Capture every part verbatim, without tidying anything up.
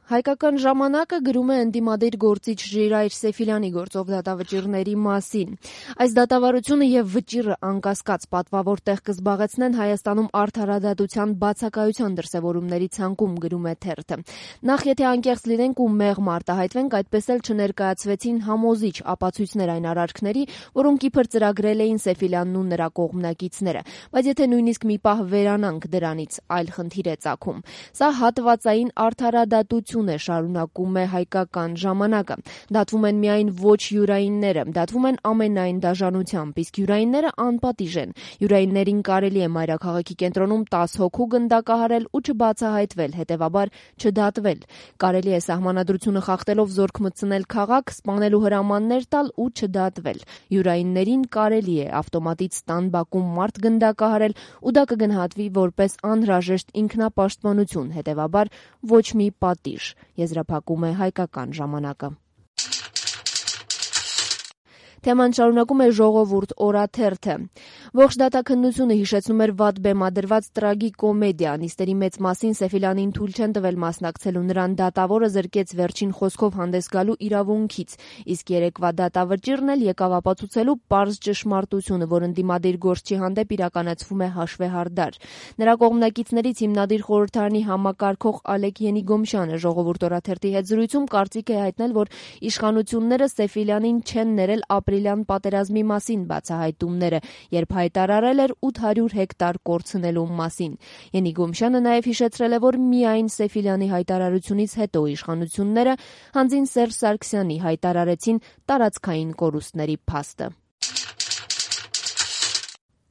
Հայկական ժամանակը գրում է ընդդիմադիր գործիչ Ժիրայր Սեֆիլյանի գործով դատավճիռների մասին։ Այս դատավարությունը եւ վճիռը անկասկած պատվավոր տեղ կզբաղեցնեն Հայաստանում արդարադատության բացակայության դրսեւորումների ցանկում, գրում է թերթը։ Նախ եթե անկեղծ լինենք ու մեղմ արտահայտվենք, այդպես էլ չներկայացվեցին համոզիչ ապացույցներ այն արարքների, որոնք իբր ծրագրել էին Սեֆիլյանն ու նրա կողմնակիցները։ Բայց եթե նույնիսկ մի պահ վերանանք դրանից, այլ խնդիր է ծագում։ Սա հատվածային արդարադատություն է, շարունակում է Հայկական ժամանակը։ Դատվում են միայն ոչ յուրայինները, դատվում են ամենայն դաժանությամբ, իսկ յուրայինները անպատիժ են։ Յուրայիններին կարելի է մայրաքաղաքի կենտրոնում տաս հոգու գնդակահարել ու չբացահայտվել, հետևաբար չդատվել։ Կարելի է սահմանադրությունը խախտելով զորք մտցնել քաղաք, սպանել ու հրամաններ տալ ու չդատվել։ Յուրայիններին կարելի է ավտոմատից տան բակում մարդ գնդակահարել ու դա կգնահատվի որպես անհրաժեշտ ինքնապաշտպանություն, հետևաբար ոչ մի պատիժ, եզրափակում է Հայկական ժամանակը։ Թեման շարունակում է Ժողովուրդ օրաթերթը։ Ողջ դատաքննությունը հիշեցնում էր վատ բեմադրված տրագիկոմեդիա։ Նիստերի մեծ մասին Սեֆիլյանին թույլ չեն տվել մասնակցելու, նրան դատավորը զրկեց վերջին խոսքով հանդես գալու իրավունքից, իսկ երեկվա դատավճիռն էլ եկավ ապացուցելու պարզ ճշմարտությունը, որ ընդդիմադիր գործչի հանդեպ իրականացվում է հաշվեհարդար։ Նրա կողմնակիցներից հիմնադիր խորհրդարանի համակարգող Ալեք Ենիգոմշյանը Ժողովուրդ օրաթերթի հետ զրույցում կարծիք է հայտնել, որ իշխանությունները Սեֆիլյանին չեն ներել ապրիլյան պատերազմի մասին բացահայտումները, երբ հայտարարել էր ութ հարյուր հեկտար կորցնելու մասին։ Ենիգոմշյանը նաև հիշեցրել է, որ միայն Սեֆիլյանի հայտարարությունից հետո իշխանությունները հանձին Սերժ Սարգսյանի հայտարարեցին տարածքային կորուստների փաստը։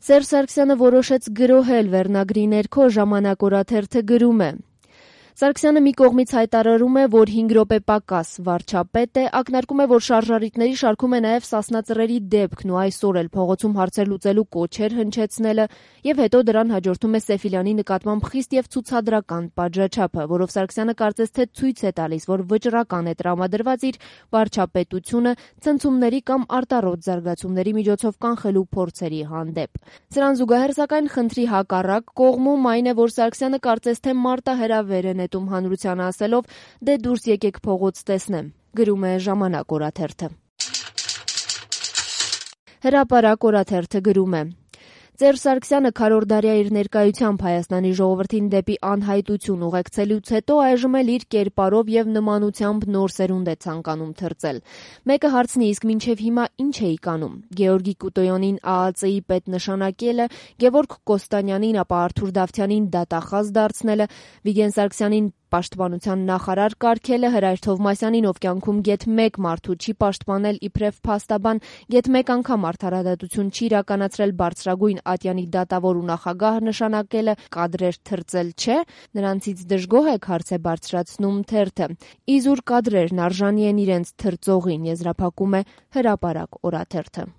Սերժ Սարգսյանը որոշեց գրոհել վերնագրի ներքո Ժամանակ օրաթերթը գրում է. Սարգսյանը մի կողմից հայտարարում է, որ հինգ րոպե պակաս վարչապետ է, ակնարկում է, որ շարժառիթների շարքում է նաև Սասնա-Ծռերի դեպքն ու այսօր էլ փողոցում հարցեր լուծելու կոչեր հնչեցնելը, եւ հետո դրան հաջորդում է Սեֆիլյանի նկատմամբ խիստ եւ ցուցադրական պատժաչափը, որով Սարգսյանը կարծես թե ցույց է տալիս, որ վճռական է տրամադրված իր վարչապետությունը ցնցումների կամ արտառոց զարգացումների միջոցով կանխելու փորձերի հանդեպ։ Սրան զուգահեռ սակայն խնդրի հակառակ կողմում այն է, որ Սարգսյանը կարծես թե մարտահրավեր է նետում հանրությանը ասելով «դե դուրս եկեք փողոց տեսնեմ», գրում է Ժամանակ օրաթերթը։ Հրապարակ օրաթերթը գրում է. Սերժ Սարգսյանը քառորդդարյա իր ներկայությամբ Հայաստանի ժողովրդին դեպի անհայտություն ուղեկցելուց հետո այժմ էլ իր կերպարով եւ նմանությամբ նոր սերունդ է ցանկանում թռծել։ Մեկը հարցնի, իսկ մինչեւ հիմա ինչ էիք անում։ Գեորգի Կուտոյանին Ա Ա Ծ-ի պետ նշանակելը, Գևորգ Կոստանյանին, ապա Արթուր Դավթյանին դատախազ դարձնելը, Վիգեն Սարգսյանին պաշտպանության նախարար կարգելը, Հրայր Թովմասյանին, ով կյանքում գեթ մեկ մարդու չի պաշտպանել իբրև փաստաբան, գեթ մեկ անգամ արդարադատություն չի իրականացրել բարձրագույն ատյանի դատավոր ու նախագահ նշանակելը, կադրեր թրծել չէ, նրանցից դժգոհ եք, հարց է բարձրացնում թերթը։ Իզուր կադրերն արժանի են իրենց թրծողին, եզրափակում է Հրապարակ օրաթերթը։